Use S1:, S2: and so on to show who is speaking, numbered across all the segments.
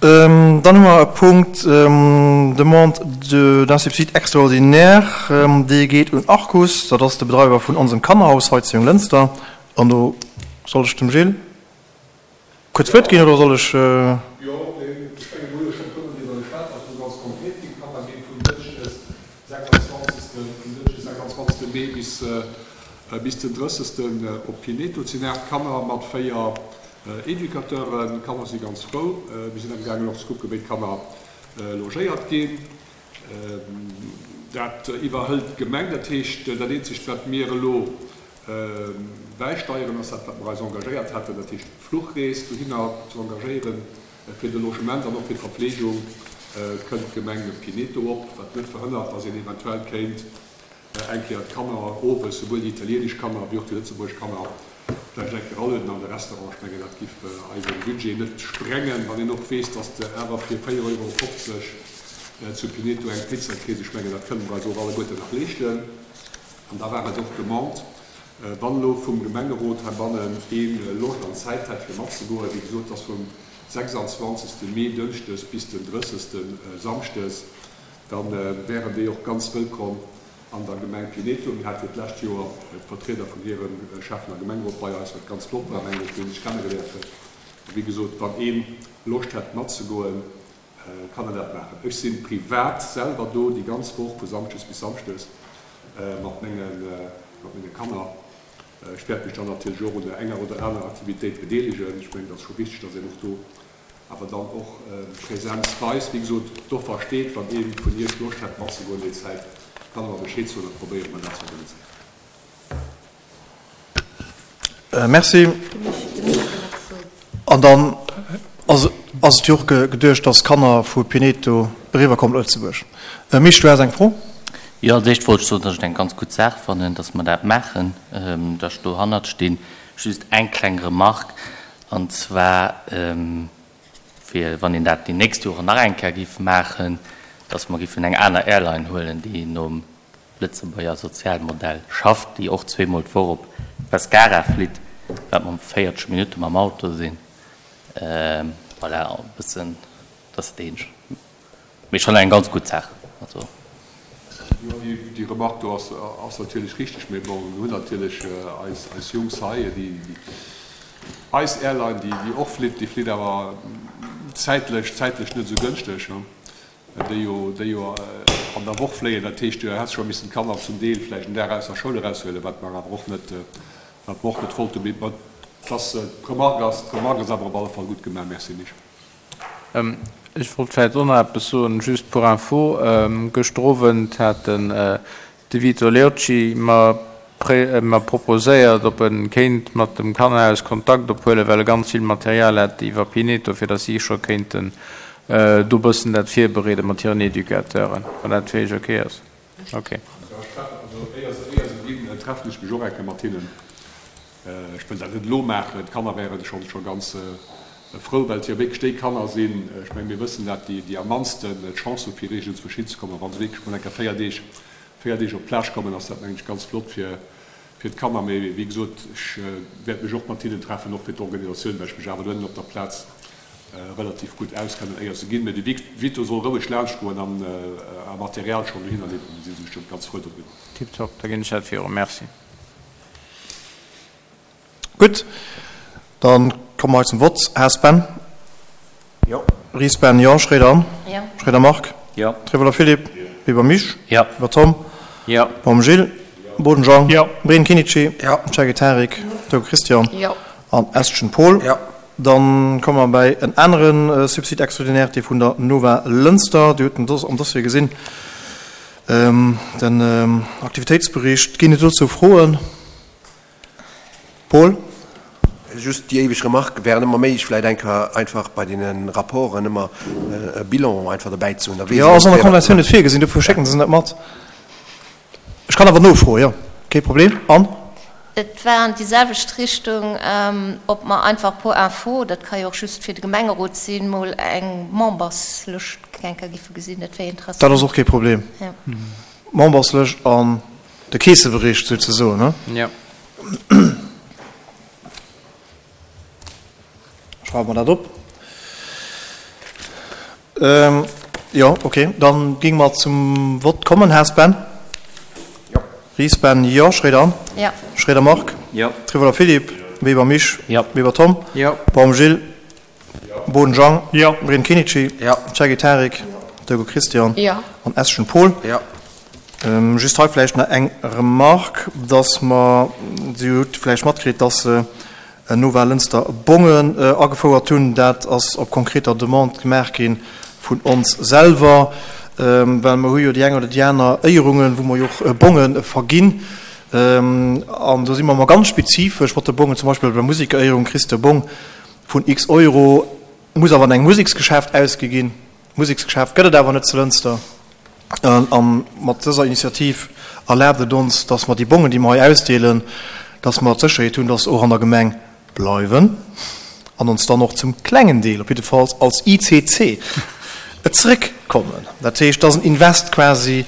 S1: Dann hu mer e Punkt, Demande d'un subside extraordinaire, dee geet un Arcus, dat ass de Bedreiwer vun onsem Kannerhaus hei zu Jonglënster. An do soll ech dem Gilles kuerz d'Wuert ginn, oder soll ech?
S2: Jo, ech menge mir hu jo scho e puermol driwwer geschwat, ass elo ganz konkret ginn. D'Kanner gi vun Dënschdes 26. Vun Dënschdes 26. Mee bis bis den 30. Op Pineto. Et sinn 8 Kanner mat 4 Educateuren. D'Kanner si ganz frou. Mir sinn amgaangen och ze kucken, wéi d'Kanner logéiert ginn. Dat iwwerhëlt d'Gemeng. Dat heescht, dat eenzegt, wat mir elo bäisteieren, ass dat, wat mer eis engagéiert haten, dat heescht d'Fluchrees dohinner ze engagéieren. Fir de Logement an och fir d'Verpflegung kënnt d'Gemeng Pineto op, wat net verhënnert, dass een eventuell kéint eng Kéier d'Kanner owes, souwuel déi italienesch Kanner wéi och déi lëtzebuergesch Kanner, vläicht eng Kéier alueden an de Restaurant. Ech mengen, dat giff eise Budget net sprengen, wann een och weess, dass de awer fir 4,50 Euro zu Pineto eng Pizza kriss. Ech mengen, dat kënne mer eis och alleguerten nach leeschten. An da war et och d'Demande, wann elo vum Gemengerot heibannen ee Loscht an Zäit hätt fir matzegoen, wéi gesot, dass vum 26. Mee, dënschdes, bis den 30. Samschdes, da wären déi och ganz wëllkomm an der Gemeng Pineto. Mir hate jo d'lescht Joer d'Vertrieder vun hirem Schäffen a Gemengerot bei eis, wat ganz flott war, mengen ech, wou een sech kennegeléiert huet. A wéi gesot, wann ee Loscht hätt matzegoen, kann en dat maachen. Ech si privat selwer do déi ganz Woch, vu Samschdes bis Samschdes, mat menge Kanner. Ech wäert mech dann natierlech och un der enger oder anerer Aktivitéit bedeelegen. Ech mengen, et ass scho wichteg, dass een och do awer dann och Präsenz weist. Wéi gesot, d'Offer steet. Wann ee vun Iech Loscht hätt matzegoen déi Zäit, kann e mer Bescheed soen, da probéiere mer dat ze organiséieren.
S1: Merci. An dann ass et jo och geduecht, dass d'Kanner vu Pineto eriwwer kommen op Lëtzebuerg. Misch, du has eng Fro?
S3: Jo, als éischt wollt ech soen, dass ech et eng ganz gutt Saach fannen, dass mer dat maachen, dass ech dohannert stinn. Just eng kleng Remarque, an zwar, fir wann een dat déi nächst Joren nach eng Kéier géif maachen, dass mer géifen eng aner Airline huelen, déi nom Lëtzebuerger Sozialmodell schafft, déi och zweemol d'Woch op Pescara flitt, wat mer 40 Minutte mam Auto sinn. Voilà, e bëssen, dat ass dat eenzegt. Mee schonn eng ganz gutt Saach. Also.
S2: Jo, déi Remarque do ass natierlech richteg. Mee bon, mir hunn natierlech eis Jungs hei, déi eis Airline, déi och flitt, déi flitt awer zäitlech, zäitlech net esou gënschteg. Déi jo, déi jo an der Woch fléien. Dat heescht, du häss scho missen d'Kanner zum Deel vläicht en Dag aus der Schoul eraushuelen, wat mer awer och net, wat mer och net wollten. Mee bon, dass d'Remarque ass, d'Remarque ass awer op alle Fall gutt gemaach. Merci, Misch.
S4: Ech wollt vläicht och nach eppes soen, just pour info, Gëschter Owend hat den De Vito Leocci mer mer proposéiert, ob e kéint mat dem Kannerhaus Kontakt ophuelen, well e ganz vill Material hätt iwwer Pineto, fir datt si scho kéinten do bëssen dat virbereede mat hiren Educateuren, wann dat fir iech ok ass. Ok.
S2: Also éier se ginn, treffen ech mech och eng Kéier mat hinnen. Ech wëll dat net elo maachen, d'Kanner wären scho scho ganz frou, well et jo wierklech déi Kanner sinn, ech menge mir wëssen dat, déi déi am mannsten d'Chance hu fir iergendzwousch hinzekommen. A wa se wierklech mol eng Kéier 4 Deeg, 4 Deeg op d'Plage kommen, ass dat mengen ech ganz flott fir fir d'Kanner. Mee wéi gesot, ech wäert mech och mat hinnen treffen, och fir d'Organisatioun, well ech mech awer dohennen op der Plaz relativ gutt auskennen, éier se ginn. Mee de Vito soll roueg laanschtgoen an a Material schonn dohinner liwweren, da si se bestëmmt ganz frou doriwwer.
S4: Tiptop, da ginn ech dat virun. Merci.
S1: Gutt, da komme mer hei zum Vott. Haas Ben?
S4: Jo.
S1: Ries Ben? Jo. Schroeder Anne?
S5: Jo.
S1: Schroeder Marc?
S3: Jo.
S1: Trevoller Philippe?
S2: Jo.
S1: Weber Misch?
S3: Jo.
S1: Weber Tom?
S4: Jo.
S1: Baum Gilles?
S2: Jo.
S1: Boden Jean?
S4: Jo.
S1: Breen Kinnici?
S6: Jo.
S1: Cherki Tarik?
S5: Jo.
S1: Turk Christian?
S5: Jo.
S1: An Eschen Paul?
S6: Jo.
S1: Dann komme mer bäi en anere Subside extraordinaire, dee vun der Nova Lënster. Dir hutt en am Dossier gesinn. Den Aktivitéitsbericht, ginn et dozou Froen? Paul?
S6: Just déi éiweg Remarque, wär et ëmmer méiglech vläicht eng Kéier einfach bei deene Rapporten ëmmer e Bilan einfach dobäi ze hunn, da weess
S1: Jo,
S6: een
S1: ass an der
S6: ongeféier wat
S1: Konventioun net virgesinn, dofir schécken se net mat. Ech kann awer nofroen, jo, kee Problem. Anne?
S5: Et war an déi selwecht Richtung, ob mer einfach pour info, dat ka jo och just fir de Gemengerot sinn, mol eng Memberslëscht eng Kéier giffe gesinn. Dat wär interessant.
S1: Dat ass och kee Problem. Memberslëscht an de Keessebericht souzesoen, ne?
S4: Jo.
S1: Schreiwe mer dat op. Jo, ok, dann géinge mer zum Vott kommen. Haas Ben?
S6: Jo.
S1: Ries Ben? Jo. Schroeder Anne?
S5: Jo.
S1: Schroeder Marc?
S3: Jo.
S1: Trivola Philippe? Weber Misch?
S3: Jo.
S1: Weber Tom?
S4: Jo.
S1: Baum Gilles?
S2: Jo.
S1: Boden Jean?
S7: Jo.
S1: Breen Kinici?
S6: Jo.
S1: Cherki Tarik? Dego Christian?
S5: Jo.
S1: An Eschen Paul?
S6: Jo.
S1: Just hei vläicht nach eng Remarque, dass mer, Dir hutt vläicht matkritt, dass se Nova Lënster Bongen agefouert hunn. Dat ass op konkreter Demande gemaach gi vun ons selwer, well mer hu jo déi eng oder déi aner Éierungen, wou mer jo och Bonge verginn. An do si mer ëmmer ganz spezifesch mat de Bongen, zum Beispill bei der Musekeréierung kriss de e Bong vun x Euro, muss awer an engem Museksgeschäft ausgi ginn. Museksgeschäft gëtt et awer net zu Lënster. A mat dëser Initiativ erlaabt et ons, dass mer déi Bongen, déi mer hei ausdeelen, dass mer d'Sécherheet hunn, dass se och an der Gemeng bleiwen an ons dann och zum klengen Deel op jiddefalls als ICC zeréckkommen. Dat heescht, et ass en Invest quasi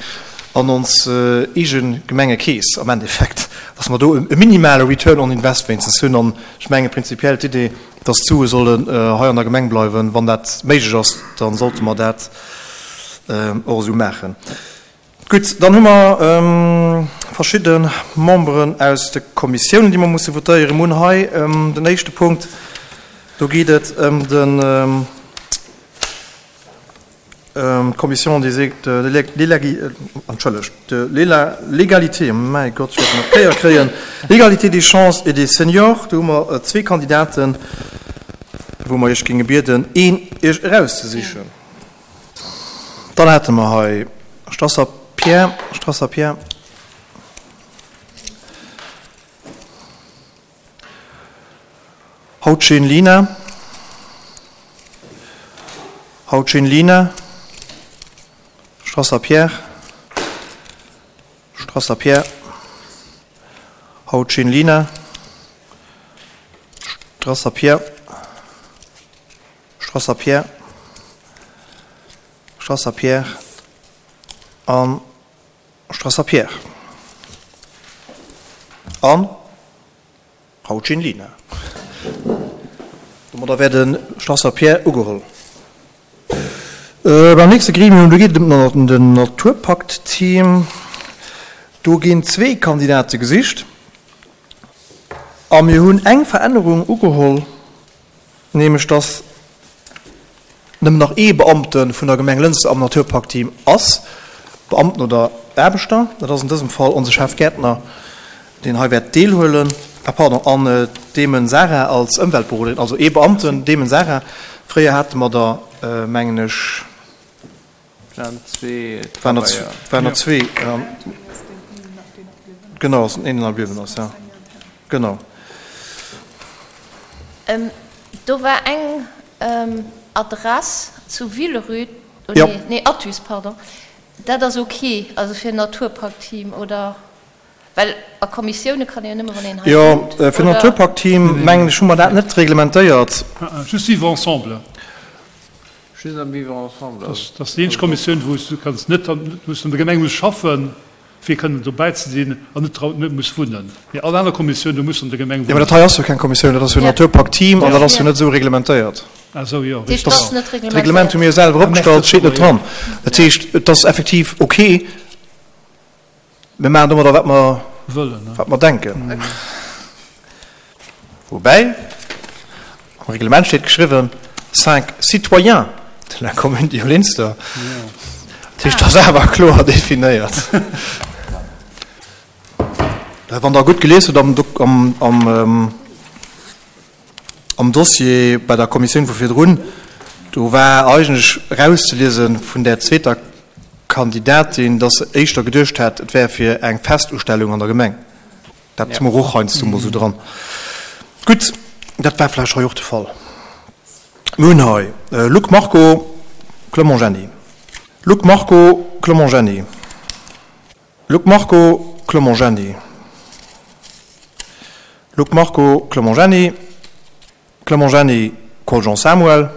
S1: an ons eege Gemengekeess am Endeffekt, dass mer do e minimale Return on invest wéinstens hunn. An ech menge prinzipiell d'Idee, dass d'Sue sollen hei an der Gemeng bleiwen, wann dat méiglech ass, da sollte mer dat och esou maachen. Gutt, dann hu mer verschidde Memberen aus de Kommissiounen, déi mer musse votéieren. Mir hunn hei den éischte Punkt, do geet et ëm den, d'Commission des, de l'Entschëllegt, de l'Égalité, mäi Gott, ech wäert nach d'Kéier kréien, l'Égalité des chances et des seniors. Do hu mer zwee Kandidaten, wou mer Iech géinge bieden, een Iech erauszesichen. Dann hate mer hei Strasser Pierre, Strasser Pierre. Hautschin Lina, Hautschin Lina, Strasser Pierre, Strasser Pierre, Hautschin Lina, Strasser Pierre, Strasser Pierre, Strasser Pierre an Strasser Pierre an Hautschin Lina. Domadder wär de Strasser Pierre ugeholl. Beim nächste Gremium, do geet et ëm den Naturpakt-Team. Do ginn zwee Kandidate gesicht a mir hunn eng Verännerung ugeholl. Nämlech dass nëmmen nach ee Beamte vun der Gemeng Lënster am Naturparkteam ass, Beamten oder Aarbechter, dat ass an dësem Fall onse Chef Gäertner, deen hei wäert deelhuelen, ah pardon, an d'Demen Sarah als Ëmweltberoderin, also ee Beamten, Demen Sarah. Fréier hate mer der, mengen ech,
S4: Waren zwee
S1: Waren der, waren der zwee, genau, ass een nach bliwwen ass, ja, genau.
S5: Do war eng Adress zu Villerupt, oh nee, nee, Athus, pardon. Dat ass ok, also fir en Naturparkteam, oder? Well a Kommissioune kann ee jo nëmme wann een hei
S1: Jo,
S5: wunnt,
S1: fir
S5: oder?
S1: Naturparkteam, mengen ech, hu mer dat net reglementéiert.
S7: Just Vivre ensemble.
S4: Just am Vivre ensemble ass.
S7: Dat ass déi eenzeg Kommissioun, wou s du kanns net, wou s du an der Gemeng muss schaffen, fir kënnen dobäi ze sinn an net dra, net muss wunnen. Mee all aner Kommissioun, do muss du an der Gemeng
S1: Jo, mä
S7: wunnen.
S1: dat hei ass jo keng Kommissioun, dat ass jo en Naturparkteam an dat ass jo net esou reglementéiert.
S7: Ah esou, jo,
S5: Dat heescht,
S7: richtig.
S5: et ass net
S1: D'Reglement hu
S5: reglementéiert.
S1: mir jo selwer opgestallt, steet net dran. Dat heescht, et ass effektiv ok. Mir maachen domadder, wat mer
S7: Wëllen,
S1: wat mer denken. Woubäi, am Reglement steet geschriwwen, cinq citoyens de la commune de Junglinster. Dat heescht, dat ass awer kloer definéiert. Wann Der gutt gelies hutt am, am, am, Am Dossier bei der Kommissioun vu virdrun, do war eigentlech erauszeliese vun där zweeter Kandidatin, dass se éischter geduecht hat, et wär fir eng Festustellung an der Gemeng. Dat hu mer och heiansdo mol esou dran. Gutt, dat war vläicht hei och de Fall. Mir hunn hei Luc Marco, Clement Jenny. Luc Marco, Clement Jenny. Luc Marco, Clement Jenny. Luc Marco, Clement Jenny. Clement Jenny, Coljean Samuel.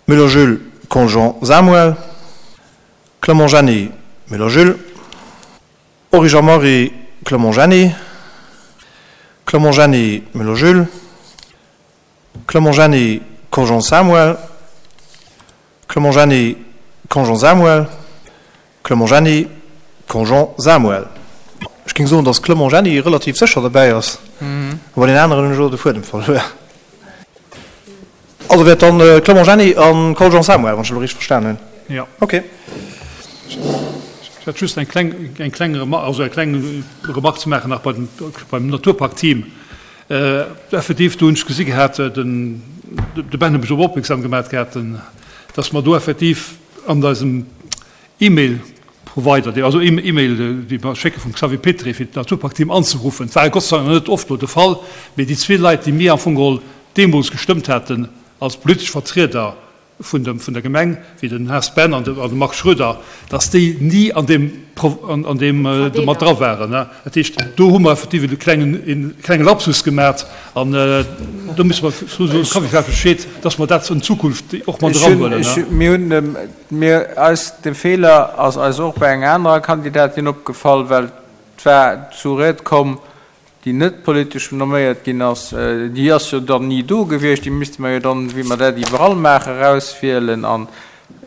S1: Müller Jules, Coljean Samuel. Clement Jenny, Müller Jules. Origer Marie, Clement Jenny. Clement Jenny, Müller Jules. Clement Jenny, Coljean Samuel. Clement Jenny, Conjean Samuel, Clement Jenny, Conjean Samuel. Ech géing soen, datt Clement Jenny relativ sécher derbäi ass, a bei den aneren hunn ech elo de Fuedem verluer. Also wär et dann Clement Jenny a Coljean Samuel, wann ech elo richteg verstan hunn.
S7: Jo.
S1: Ok.
S7: Ech hätt just eng kleng, eng kleng Remarque, also eng kleng Remarque ze maachen nach bei dem, beim Naturpark-Team. Effektiv, do hunn ech gesi gehat, den, de Ben huet mech drop opmierksam gemaat gehat, dass mer do effektiv an eisem E-Mail-Provider, also E-Mail, déi mer schécke vum Xavier Petry, fir d'Naturpark-Team anzeruffen, et war Gott sei Dank nach net oft elo de Fall, mee déi zwee Leit, déi mir am Fong geholl deemools gestëmmt haten als politesch Vertrieder vun dem, vun der Gemeng, wéi den Här Spen an de, an de Marc Schroeder, dass déi ni an deem, an deem do mat dra waren. Dat heescht, do hu mer effektiv e klengen, e klenge Lapsus gemat an do musse mer soen, Xavier, vläicht Bescheed, dass mer dat an Zukunft och mat eranhuelen.
S4: Mir hunn, mir, eis, de Feeler ass eis och bei enger anerer Kandidatin opgefall, well et war zu Ried komm, déi net politesch nomméiert ginn ass, déi ass jo dann ni do gewiescht, déi misste mer jo dann, wéi mer dat iwwerall maachen, erauswielen. An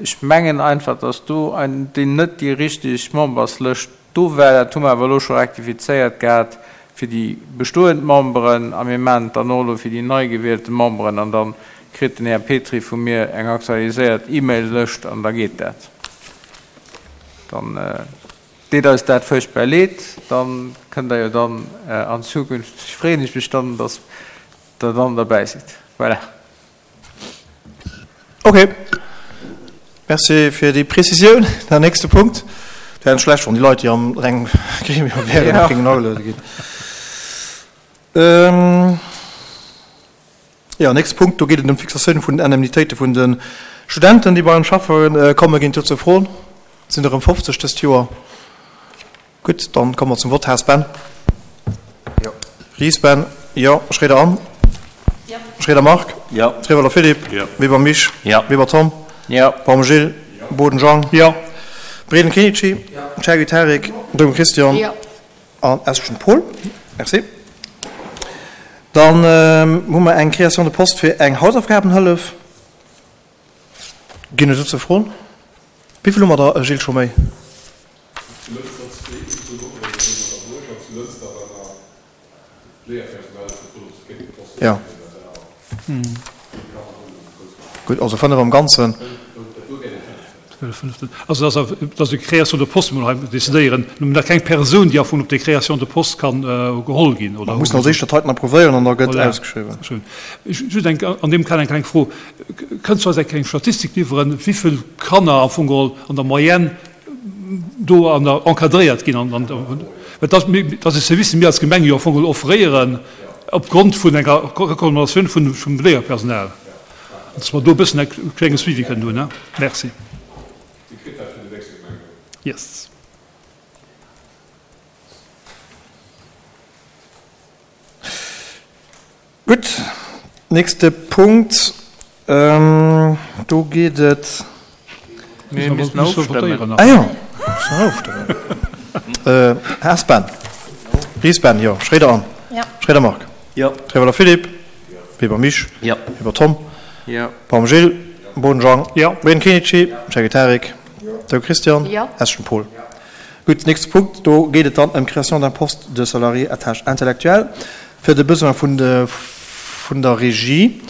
S4: ech mengen einfach, dass do déi net déi richteg Memberslëscht do war. Dat hu mer awer elo scho rektifizéiert gehat fir déi bestoend Memberen a mir maachen et dann och elo fir déi nei gewielte Memberen an da kritt den Här Petry vu mir eng aktualiséiert E-Mail-Lëscht an da geet dat. Dann. Deet eis dat fuerchtbar leed, dann kënnt der jo dann an Zukunft, freeën ech mech dann, dass der dann derbäi sidd. Voilà.
S1: Ok, merci fir déi Prezisioun. Der nächste Punkt. Et wär net schlecht, wann déi Leit, déi an engem Gremium wären, och géingen ageluede ginn. Jo, nächste Punkt, do geet et ëm d'Fixatioun vun den Indemnitéite vun de Studenten, déi bei ons schaffe kommen. Ginn dozou Froen? Et sinn der erëm 50 dëst Joer. Gutt, dann komme mer zum Vott. Haas Ben?
S6: Jo.
S1: Ries Ben? Jo. Schroeder Anne?
S5: Jo.
S1: Schroeder Marc?
S3: Jo.
S1: Trewelder Philippe?
S2: Jo.
S1: Weber Misch?
S3: Jo.
S1: Weber Tom?
S4: Jo.
S1: Baum Gilles?
S2: Jo.
S1: Boden Jean?
S7: Jo.
S1: Breden Kenichi?
S4: Jo.
S1: Chergui Tarik? Dogen Christian?
S5: Jo.
S1: An Eschen Paul. Merci. Dann hu mer eng Création de poste fir eng Hausaufgabenhëllef. Ginn et dozou Froen? Wéi vill hu mer der, Gilles, scho méi?
S2: Zu Lënster zwee, zu Bourg an zu Lënster war nach Léierpersonal gefrot, ob se kéinten Posten
S1: Ja. Gutt, also 5 am Ganzen.
S7: Also dass dass déi Création de poste mol hei decidéieren, nëmmen da keng Persoun, déi am Fong op déi Création de poste kann geholl ginn, oder?
S1: Mer mussen als éischt dat heiten approuvéieren an da gëtt ausgeschriwwen.
S7: Voilà. Just eng, an deem Kader eng kleng Fro, Kënns du eis eng kleng Statistik liwweren, wéi vill Kanner am Fong geholl an der Moyenne do an der encadréiert ginn an an well dass mir dass e Service dee mir als Gemeng jo am Fong geholl offréieren opgrond vun enger Recommandatioun vun vum Léierpersonal, dass mer do e bëssen e klenge Suivi kënnen hunn. Merci.
S2: Dir kritt dat fir den nächste Gemengerot.
S7: Yes.
S1: Gutt, nächste Punkt, do geet et.
S4: Mir missten ofstëmmen.
S1: Ah jo, missten nach ofstëmmen. Haas Ben. Ries Ben, jo. Schroeder Anne.
S5: Jo.
S1: Schroeder Marc.
S3: Jo.
S1: Trewelder Philippe.
S2: Jo.
S1: Weber Misch.
S3: Jo.
S1: Weber Tom.
S4: Jo.
S1: Baum Gilles. Boden Jean.
S7: Jo.
S1: Breden Kenichi. Chergui Tarik.
S2: Jo.
S1: Thou Christian.
S5: Jo.
S1: Eschen Paul. Gutt, nächste Punkt, do geet et dann ëm d'Création d'un poste de salarié à tâche intellectuelle fir de Besoin vun de vun der Regie.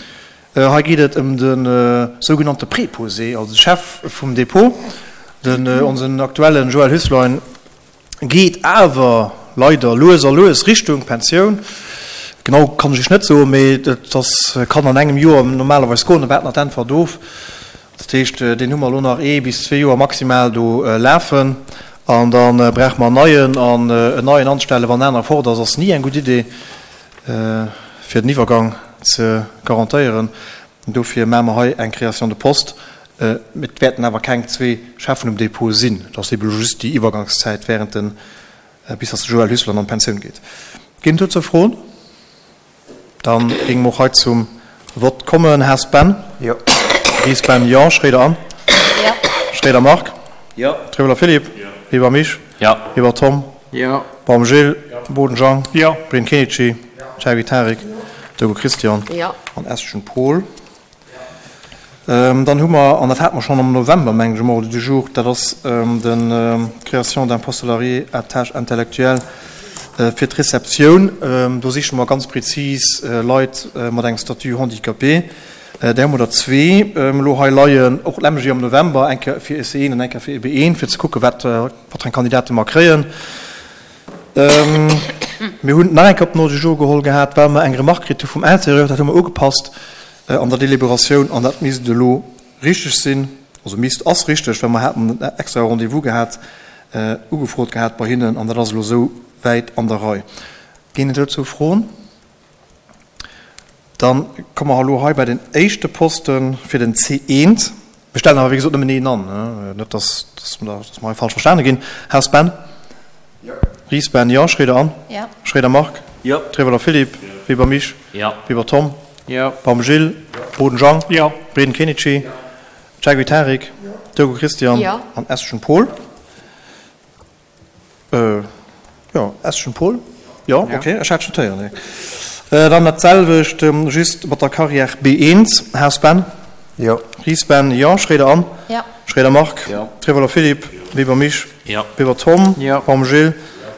S1: Hei geet et ëm de sougenannte Préposé, also de Chef vum Dépôt. Den onsen aktuellen Joël Hüsslein geet awer leider lues a lues Richtung Pensioun. Genau kann ech Iech net soen, mee et ass kann an engem Joer normalerweis goen. Da waarden nach d'Äntwert of. Dat heescht, deen hu mer elo nach ee bis zwee Joer maximal do lafen an da brauche mer en neien. An en neien anstellen, wann en anere fort ass, ass ni eng gutt Idee, fir den Iwwergang ze garantéieren. Dofir maache mer hei eng Création de poste. Et wäerten awer keng zwee Cheffen um Dépôt sinn. Et ass eebe just déi Iwwergangszäit während den, bis datt de Joël Hüsseler an d'Pensioun geet. Ginn et dozou Froen? Dann géinge mer och hei zum Vott kommen. Haas Ben?
S6: Jo.
S1: Ries Ben? Jo. Schroeder Anne?
S5: Jo.
S1: Schroeder Marc?
S3: Jo.
S1: Trewelder Philippe?
S2: Jo.
S1: Weber Misch?
S3: Jo.
S1: Weber Tom?
S4: Jo.
S1: Baum Gilles?
S2: Jo.
S1: Boden Jean?
S7: Jo.
S1: Breen Kenichi?
S2: Jo.
S1: Chergui Tarik?
S5: Jo.
S1: Dogo Christian?
S5: Jo.
S1: An Eschen Paul? Dann hu mer, an dat hate mer schonn am November, mengen ech, um Ordre du jour, dat ass de Création d'un poste salarié à tâche intellectuelle fir d'Receptioun. Do siche mer ganz prezis Leit mat engem Statut handicapé. Där hu mer der zwee elo hei leien, och d'lemmeg wéi am November, eng Kéier fir e C1 an eng Kéier fir e B1, fir ze kucken, wat fir eng Kandidate mer kréien. Mir hunn et nach eng Kéier op den Ordre du jour geholl gehat, well mer eng Remarque kritt hu vum Intérieur. Dat hu mer ugepasst an der Deliberatioun an dat misst elo richteg sinn. Also misst, ass richteg, well mer haten en extrae Rendez-vous gehat, ugefrot gehat bei hinnen an dat ass elo esou wäit an der Rei. Ginn et dozou Froen? Dann komme mer elo hei bei den éischte Poste fir den C1. Mir stellen awer, wéi gesot, nëmmen een an, net dass mer hei falsch verstane ginn. Haas Ben?
S6: Jo.
S1: Ries Ben? Jo. Schroeder Anne?
S5: Jo.
S1: Schroeder Marc?
S3: Jo.
S1: Treverler Philippe?
S3: Jo.
S1: Weber Misch?
S3: Jo.
S1: Weber Tom?
S4: Jo.
S1: Baum Gilles?
S6: Jo.
S1: Boden Jean?
S7: Jo.
S1: Breden Kenichi?
S6: Jo.
S1: Chaguy Tarik?
S6: Jo.
S1: Turgo Christian?
S5: Jo.
S1: An Eschen Paul? Jo, Eschen Paul? Jo, ok, ech hat schon d'Héieren. Dann dat selwecht, just mat der Carrière B1. Haas Ben?
S6: Jo.
S1: Ries Ben? Jo. Schroeder Anne?
S5: Jo.
S1: Schroeder Marc?
S3: Jo.
S1: Trevoller Philippe? Weber Misch?
S3: Jo.
S1: Weber Tom?
S4: Jo.
S1: Baum Gilles?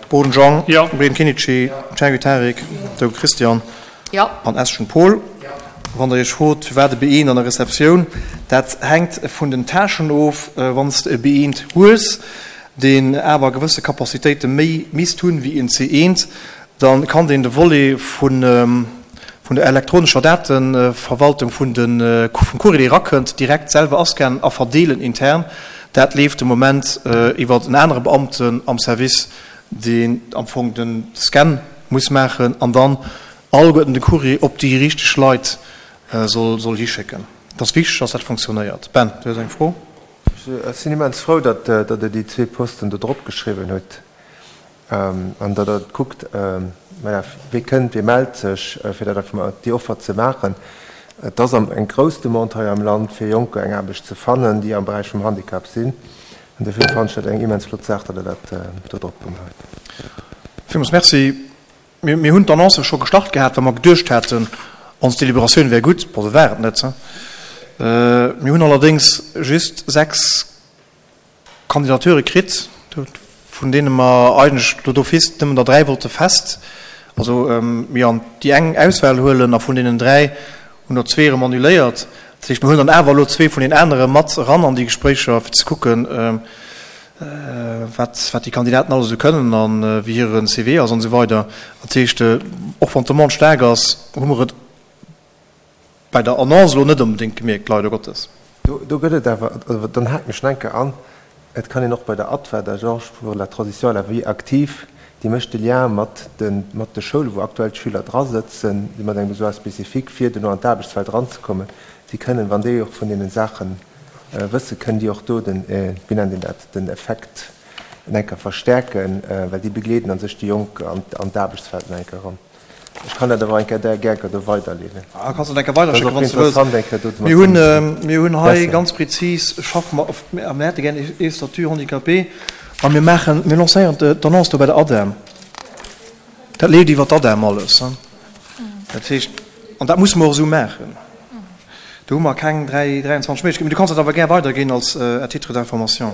S1: Boden Jean?
S7: Jo.
S1: Breden Kenichi? Cengiz Tarik? Turgo Christian?
S5: Jo.
S1: An Eschen Paul? Wann der iech frot, firwat e B1 an der Receptioun, dat hänkt vun den Tâchen of. Wann s de e B1 hues, deen awer gewësse Capacitéite méi misst hunn wéi en C1, da kann deen de Volet vun der elektronescher Dateverwaltung vun de vum Courrier, dee erakënnt, direkt selwer ascannen a verdeelen intern. Dat leeft de Moment iwwer en anere Beamten am Service, deen am Fong de Scan muss maachen an dann alleguerten de Courrier op déi richteg Leit soll hischécken. Et ass wichteg, dass dat funktionéiert. Ben, du hues eng Fro?
S6: Ech sinn immens frou, datt Der déi zwee Posten do drop geschriwwen hutt an datt Der kuckt, voilà, wie kënnt, wie mellt sech, fir dat einfach mol déi Offer ze maachen. Et ass eng grouss Demande hei am Land, fir Jonker eng Aarbecht ze fannen, déi am Beräich vum Handicap sinn. An dofir fannen ech dat eng immens flott Saach, datt Der dat do drop gemaach hutt.
S1: Villmools Merci. Mir hunn d'Annonce scho gestart gehat, well mer geduecht haten, ons Deliberatioun wär gutt. Bon, se war et net. Mir hunn allerdéngs just 6 Candidature kritt, vun deene mer eigentlech elo d'office nëmmen der 3 wollte fest, also mir an déi eng Auswahl huelen, a vun deenen 3 hunn der zwee erëm annuléiert. Dat heescht, mir huelen dann awer elo zwee vun den anere mat eran an déi Gespréicher, fir ze kucken, wat wat déi Kandidaten alles esou kënnen a wéi hire CV ass an esou weider. Dat heescht, och wann d'Demande staark ass, hu mer et bei der Annonce elo net onbedéngt gemierkt, leider Gottes.
S6: Do gëtt et awer, dann haken ech nach eng Kéier an, et kann een och bei der ATVA, der Agence pour la transition à la vie active, déi mécht de Lien mat de mat de Schoulen, wou aktuell d'Schüler drasëtzen, déi mat engem Besoin spécifique, fir duerno an d'Aarbechtswelt eranzekommen, déi kënnen, wann déi och vun deene Saache wëssen, kënnen déi och do den, wéi nennt een dat, den Effekt en enker verstärken, well déi begleeden a sech déi Jonk an d'Aarbechtswelt en enker eran. Ech kann dat awer eng Kéier där gär do weiderleeden.
S1: Ah, kanns dat eng Kéier weiderschécken, wann s du wëlls. Mir hunn, mir hunn hei ganz prezis, schaffe mer op, a mir hätte gär ee Statut handicapé a mir maachen, mir lancéieren d'Annonce do bei der ADEM. Dat leeft iwwer d'ADEM alles. Dat heescht, an dat musse mer och esou maachen. Do hu mer keng 3, 23 Méiglechkeeten. Mee du kanns dat awer gär weiderginn als à titre d'information.